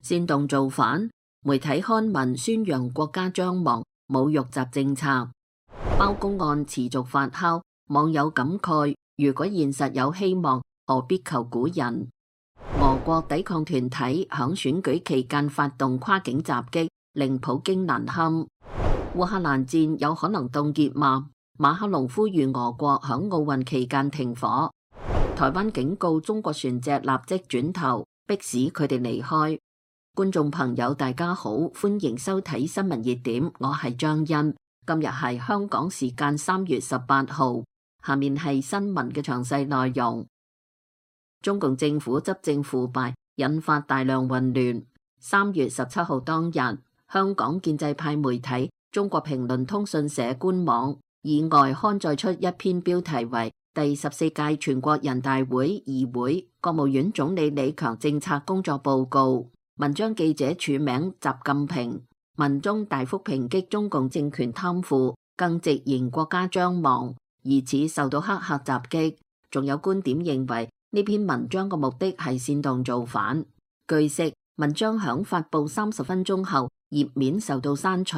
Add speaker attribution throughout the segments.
Speaker 1: 煽動造反，媒體刊文宣揚國家將亡，侮辱習政策。包公案持續發酵，網友感慨：如果現實有希望，何必求古人？俄國抵抗團體響選舉期間發動跨境襲擊，令普京難堪。烏克蘭戰有可能凍結嗎？馬克龍呼籲俄國響奧運期間停火。台灣警告中國船隻立即轉頭，迫使佢哋離開。觀眾朋友大家好，歡迎收睇新聞熱點，我係張欣。今日係香港時間3月18號，下面係新聞嘅詳細內容。中共政府執政腐敗，引發大量混亂。3月17號當日，香港建制派媒體中國評論通訊社官網以外刊載出一篇標題為第14屆全國人大會議會國務院總理李強政策工作報告。文章記者署名習近平，文中大幅抨擊中共政權貪腐，更直言國家將亡，疑似受到黑客襲擊。仲有觀點認為呢篇文章嘅目的係煽動造反。據悉，文章響發布30分鐘後，頁面受到刪除。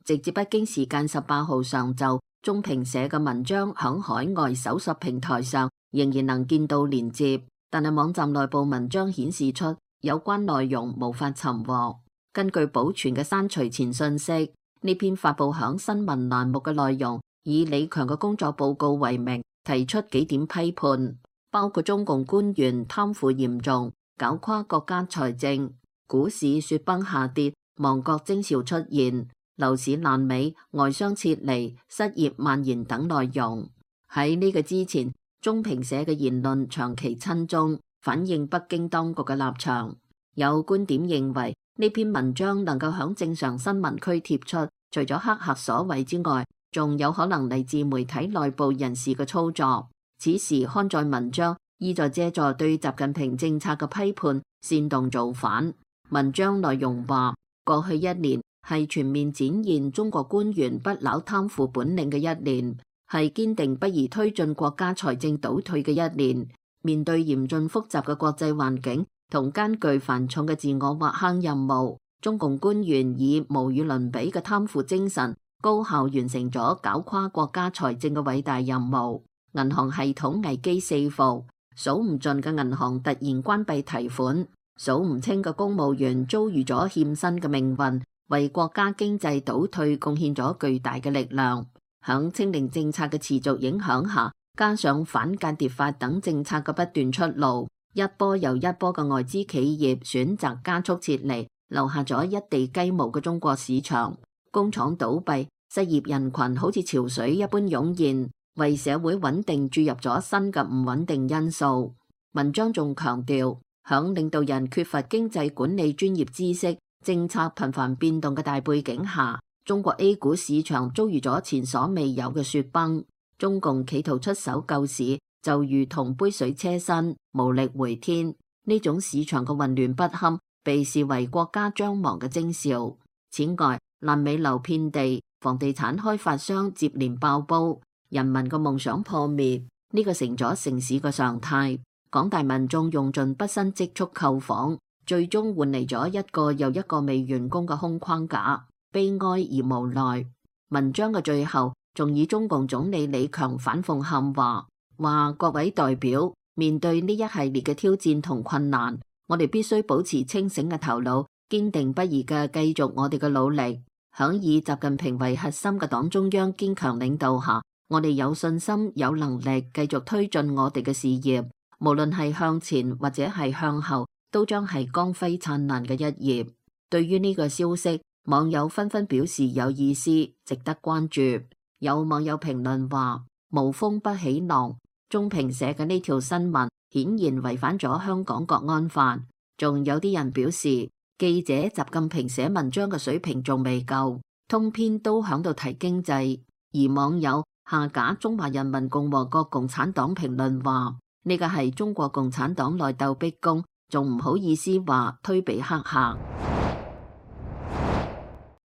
Speaker 1: 直至北京時間18號上晝，中評社嘅文章響海外搜索平台上仍然能見到連接，但係網站內部文章顯示出有關內容無法尋獲。根據保存嘅刪除前信息，呢篇發布響新聞欄目嘅內容以李強嘅工作報告為名，提出幾點批判，包括中共官員貪腐嚴重，搞垮國家財政，股市雪崩下跌，亡國徵兆出現，樓市爛尾，外商撤離，失業蔓延等內容。喺呢個之前，中評社嘅言論長期親中，反映北京當局嘅立場。有觀點認為呢篇文章能夠響正常新聞區貼出，除咗黑客所為之外，仲有可能嚟自媒體內部人士嘅操作。此時刊載文章意在借助對習近平政策嘅批判，煽動造反。文章內容話，過去一年係全面展現中國官員不朽貪腐本領嘅一年，係堅定不移推進國家財政倒退嘅一年。面對嚴峻複雜嘅國際環境同艱巨繁重嘅自我挖坑任務，中共官員以無與倫比嘅貪腐精神，高效完成咗搞垮國家財政嘅偉大任務。銀行系統危機四伏，數唔盡嘅銀行突然關閉提款，數唔清嘅公務員遭遇咗欠薪嘅命運，為國家經濟倒退貢獻咗巨大嘅力量。響清零政策嘅持續影響下，加上反間諜法等政策嘅不斷出爐，一波又一波嘅外資企業選擇加速撤離，留下咗一地雞毛嘅中國市場。工廠倒閉，失業人群好似潮水一般湧現，為社會穩定注入咗新嘅唔穩定因素。文章仲強調，響領導人缺乏經濟管理專業知識、政策頻繁變動嘅大背景下，中國 A 股市場遭遇咗前所未有嘅雪崩。中共企圖出手救市，就如同杯水車薪，無力回天。呢種市場嘅混亂不堪，被視為國家將亡嘅徵兆。此外，爛尾樓遍地，房地產開發商接連爆煲，人民嘅夢想破滅，呢個成咗城市嘅常態。廣大民眾用盡畢生積蓄購房，最終換嚟咗一個又一個未完工嘅空框架，悲哀而無奈。文章嘅最後仲以中共總理李強反諷喊話，各位代表，面對呢一系列嘅挑戰同困難，我哋必須保持清醒嘅頭腦，堅定不移嘅繼續我哋嘅努力。響以習近平為核心嘅黨中央堅強領導下，我哋有信心、有能力繼續推進我哋嘅事業，無論係向前或者係向後，都將係光輝燦爛嘅一頁。對於呢個消息，網友紛紛表示有意思，值得關注。有網友評論話，無風不起浪，中評社嘅呢條新聞顯然違反咗香港國安法。仲有啲人表示，記者習近平寫文章嘅水平仲未夠，通篇都響度提經濟。而網友下架中華人民共和國共產黨評論話，呢個係中國共產黨內鬥逼宮，仲唔好意思話推俾黑客。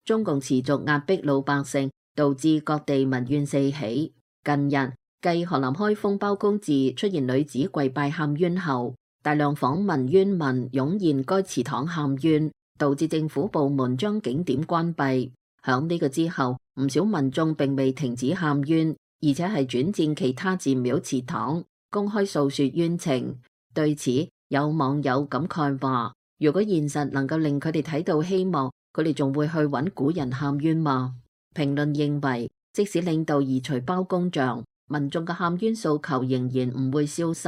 Speaker 1: 中共持續壓迫老百姓，導致各地民怨四起。近日，繼河南開封包公寺出現女子跪拜喊冤後，大量訪民冤民湧現該祠堂喊冤，導致政府部門將景點關閉。響呢個之後，唔少民眾並未停止喊冤，而且係轉戰其他寺廟祠堂，公開訴說冤情。對此，有網友感慨話：如果現實能夠令佢哋睇到希望，佢哋仲會去揾古人喊冤嗎？評論認為，即使領導移除包公像，民眾嘅喊冤訴求仍然唔會消失。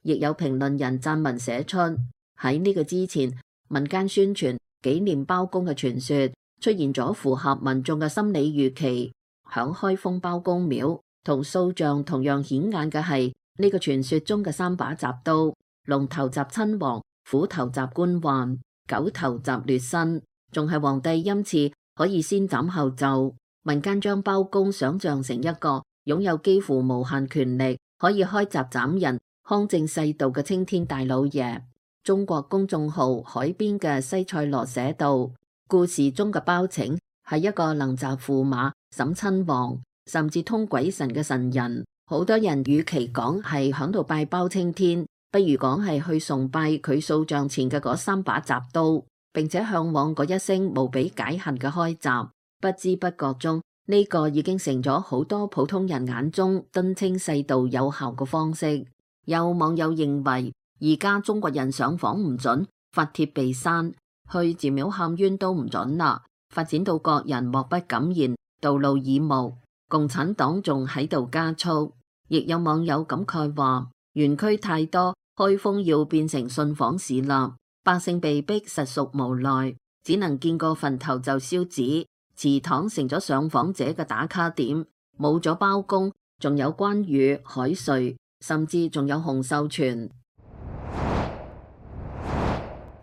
Speaker 1: 亦有評論人撰文寫出，喺呢個之前，民間宣傳紀念包公嘅傳說出現咗符合民眾嘅心理預期。響開封包公廟同塑像同樣顯眼嘅係呢個傳說中嘅三把鍘刀，龍頭鍘親王，虎頭鍘官宦，狗頭鍘劣紳，仲係皇帝欽賜可以先斬後奏。民間將包公想象成一個擁有幾乎無限權力，可以開鍘斬人，匡正世道嘅青天大老爺。中國公眾號海邊嘅西塞羅寫道，故事中嘅包拯係一個能鍘駙馬、審親王，甚至通鬼神嘅神人。好多人與其講係響度拜包青天，不如講係去崇拜佢塑像前嘅嗰三把鍘刀，並且向往嗰一聲無比解恨嘅開鍘。不知不覺中，呢個已經成咗好多普通人眼中敦清世道有效嘅方式。有網友認為，而家中國人上訪唔准，發帖被刪，去寺廟喊冤都唔准啦，發展到各人莫不敢言，道路耳目。共產黨仲喺度加速。亦有網友感慨話，園區太多，開封要變成信訪市啦，百姓被逼實屬無奈，只能見個墳頭就燒紙，祠堂成咗上訪者嘅打卡點。冇咗包公，仲有關羽、海瑞，甚至仲有洪秀全。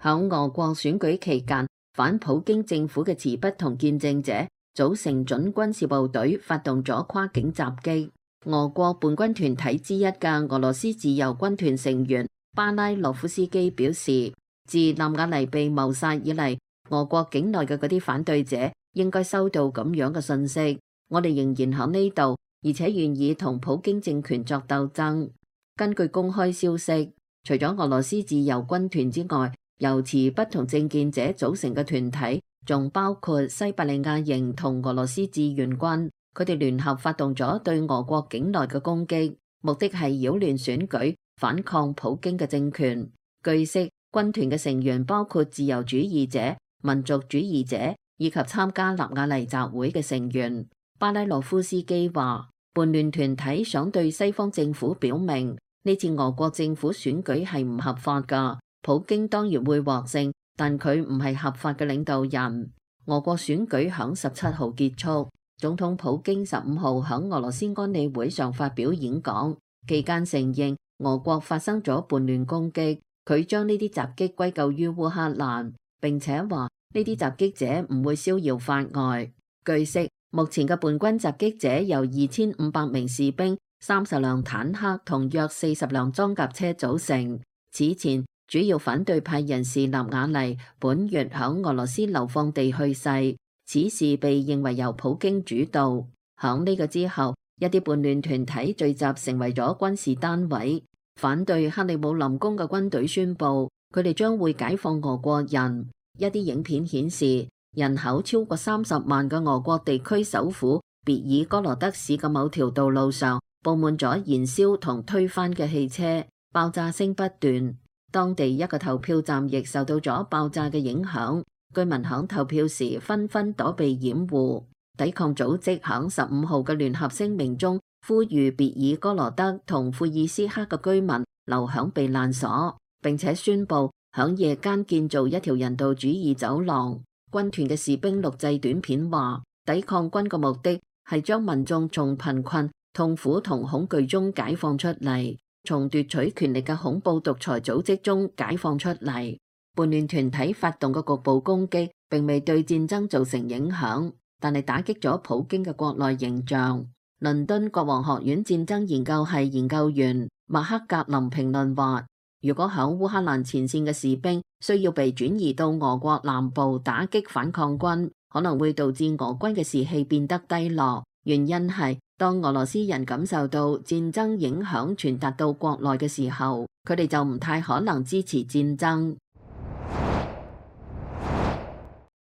Speaker 1: 響俄國選舉期間，反普京政府嘅持不同見證者組成準軍事部隊，發動咗跨境襲擊。俄國叛軍團體之一嘅俄羅斯自由軍團成員巴拉洛夫斯基表示，自納瓦尼被謀殺以嚟，俄國境內嘅嗰啲反對者應該收到咁樣嘅信息：我哋仍然喺呢度，而且願意同普京政權作鬥爭。根據公開消息，除咗俄羅斯自由軍團之外，由持不同政見者組成嘅團體，仲包括西伯利亞營同俄羅斯志願軍。佢哋聯合發動咗對俄國境內嘅攻擊，目的係擾亂選舉，反抗普京嘅政權。據悉，軍團嘅成員包括自由主義者、民族主義者以及參加納瓦尼集會嘅成員。巴拉洛夫斯基話，叛亂團體想對西方政府表明，呢次俄國政府選舉係唔合法㗎，普京當然會獲勝，但佢唔係合法嘅領導人。俄國選舉響17號結束。總統普京15號喺俄羅斯安理會上發表演講，期間承認俄國發生咗叛亂攻擊，佢將呢啲襲擊歸咎於烏克蘭，並且話呢啲襲擊者唔會逍遙法外。據悉，目前嘅叛軍襲擊者由2500名士兵、30輛坦克同約40輛裝甲車組成。此前，主要反對派人士納瓦尼本月喺俄羅斯流放地去世。此事被認為由普京主導。響呢個之後，一啲叛亂團體聚集成為咗軍事單位，反對克里姆林宮嘅軍隊宣布，佢哋將會解放俄國人。一啲影片顯示，人口超過30萬嘅俄國地區首府別爾哥羅德市嘅某條道路上，佈滿咗燃燒同推翻嘅汽車，爆炸聲不斷。當地一個投票站亦受到咗爆炸嘅影響。居民響投票時紛紛躲避掩護。抵抗組織響15號嘅聯合聲明中，呼籲別爾哥羅德同庫爾斯克嘅居民留響避難所，並且宣布響夜間建造一條人道主義走廊。軍團嘅士兵錄製短片話，抵抗軍嘅目的係將民眾從貧困、痛苦同恐懼中解放出嚟，從奪取權力嘅恐怖獨裁組織中解放出嚟。叛亂團體發動嘅局部攻擊並未對戰爭造成影響，但係打擊咗普京嘅國內形象。倫敦國王學院戰爭研究系研究員麥克格林評論話，如果響烏克蘭前線嘅士兵需要被轉移到俄國南部打擊反抗軍，可能會導致俄軍嘅士氣變得低落。原因係當俄羅斯人感受到戰爭影響傳達到國內嘅時候，佢哋就唔太可能支持戰爭。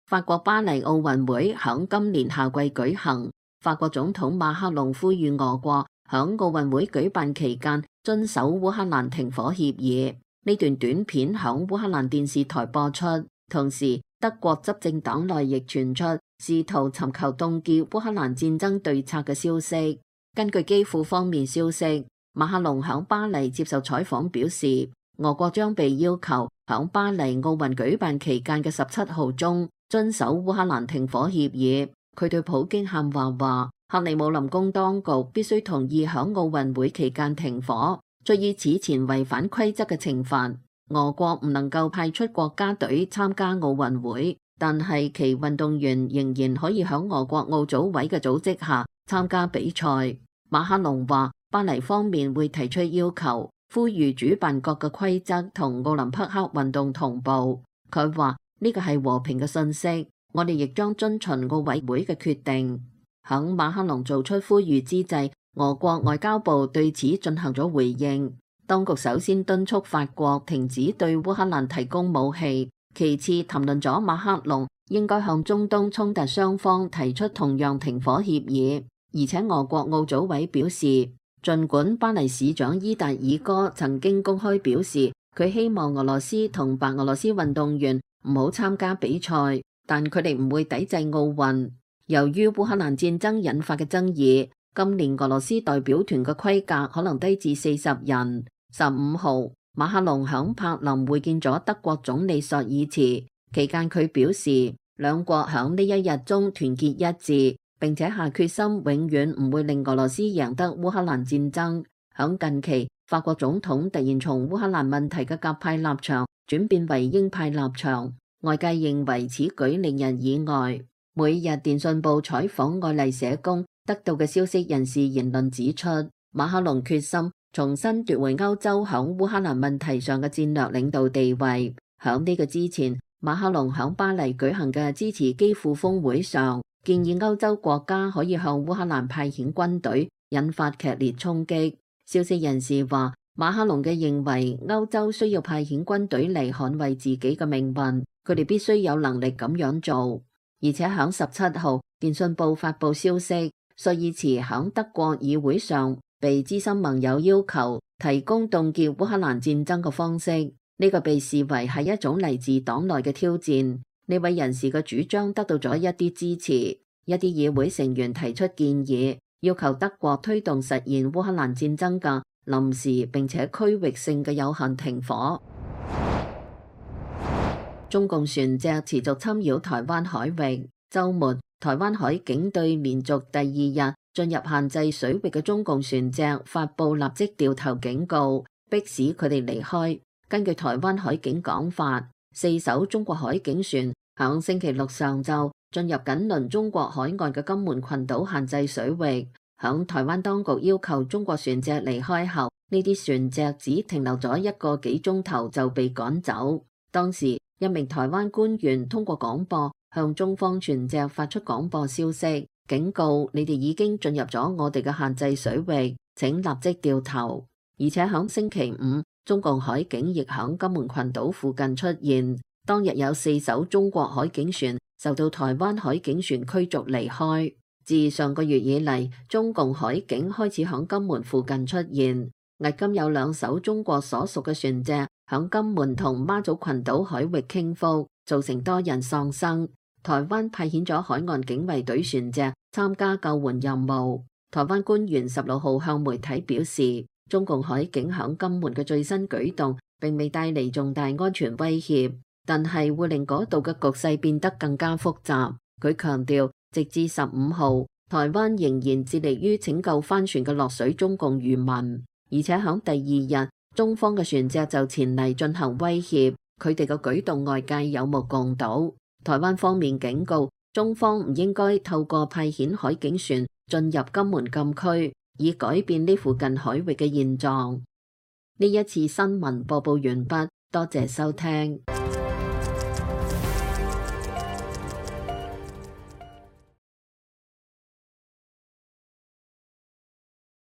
Speaker 1: 法國巴黎奧運會響今年夏季舉行，法國總統馬克龍呼籲俄國響奧運會舉辦期間遵守烏克蘭停火協議。呢段短片響烏克蘭電視台播出，同時德國執政黨內亦傳出試圖尋求凍結烏克蘭戰爭對策嘅消息。根據基輔方面消息，馬克龍響巴黎接受採訪表示，俄國將被要求響巴黎奧運舉辦期間嘅17號中遵守烏克蘭停火協議。佢對普京喊話，克里姆林宮當局必須同意響奧運會期間停火，足以此前違反規則嘅懲罰。俄國唔能夠派出國家隊參加奧運會，但係其運動員仍然可以響俄國奧組委嘅組織下參加比賽。馬克龍話，巴黎方面會提出要求，呼籲主辦國嘅規則同奧林匹克運動同步。佢話呢個係和平嘅訊息，我哋亦將遵循奧委會嘅決定。響馬克龍做出呼籲之際，俄國外交部對此進行咗回應。當局首先敦促法國停止對烏克蘭提供武器，其次談論咗馬克龍應該向中東衝突雙方提出同樣停火協議。而且俄國奧組委表示，儘管巴黎市長伊達爾戈曾經公開表示佢希望俄羅斯同白俄羅斯運動員唔好參加比賽，但佢哋唔會抵制奧運。由於烏克蘭戰爭引發嘅爭議，今年俄羅斯代表團嘅規格可能低至40人。15號，馬克龍響柏林會見咗德國總理朔爾茨，期間佢表示兩國響呢一日中團結一致，並且下決心永遠唔會令俄羅斯贏得烏克蘭戰爭。響近期，法國總統突然從烏克蘭問題嘅鴿派立場轉變為鷹派立場，外界認為此舉令人意外。每日電訊報採訪愛麗舍宮得到嘅消息人士言論指出，馬克龍決心重新奪回歐洲響烏克蘭問題上嘅戰略領導地位。響呢個之前，馬克龍響巴黎舉行嘅支持基輔峰會上，建議歐洲國家可以向烏克蘭派遣軍隊，引發劇烈衝擊。消息人士話，馬克龍嘅認為歐洲需要派遣軍隊嚟捍衛自己嘅命運，佢哋必須有能力咁樣做。而且響17號，電訊報發佈消息，朔爾茨響德國議會上被資深盟友要求提供凍結烏克蘭戰爭嘅方式，呢個被視為係一種嚟自黨內嘅挑戰。呢位人士嘅主張得到咗一啲支持，一啲議會成員提出建議，要求德國推動實現烏克蘭戰爭嘅臨時並且區域性嘅有限停火。中共船隻持續侵擾台灣海域，週末台灣海警對連續第2日進入限制水域嘅中共船隻發布立即掉頭警告，迫使佢哋離開。根據台灣海警講法，4艘中國海警船響星期六上晝進入緊鄰中國海岸嘅金門群島限制水域。響台灣當局要求中國船隻離開後，呢啲船隻只停留咗1個幾鐘頭就被趕走。當時一名台灣官員通過廣播向中方船隻發出廣播消息，警告你哋已經進入咗我哋嘅限制水域，請立即掉頭。而且響星期五，中共海警亦響金門群島附近出現，當日有4艘中國海警船受到台灣海警船驅逐離開。自上個月以嚟，中共海警開始響金門附近出現，迄今有2艘中國所屬嘅船隻響金門同媽祖群島海域傾覆，造成多人喪生。台灣派遣咗海岸警衛隊船隻參加救援任務。台灣官員16號向媒體表示，中共海警響金門嘅最新舉動並未帶嚟重大安全威脅，但係會令嗰度嘅局勢變得更加複雜。佢強調，直至15號，台灣仍然致力於拯救翻船嘅落水中共漁民，而且響第2日，中方嘅船隻就前嚟進行威脅，佢哋嘅舉動外界有目共睹。台灣方面警告，中方唔應該透過派遣海警船進入金門禁區，以改變呢附近海域嘅現狀。呢一次新聞播報完畢，多謝收聽。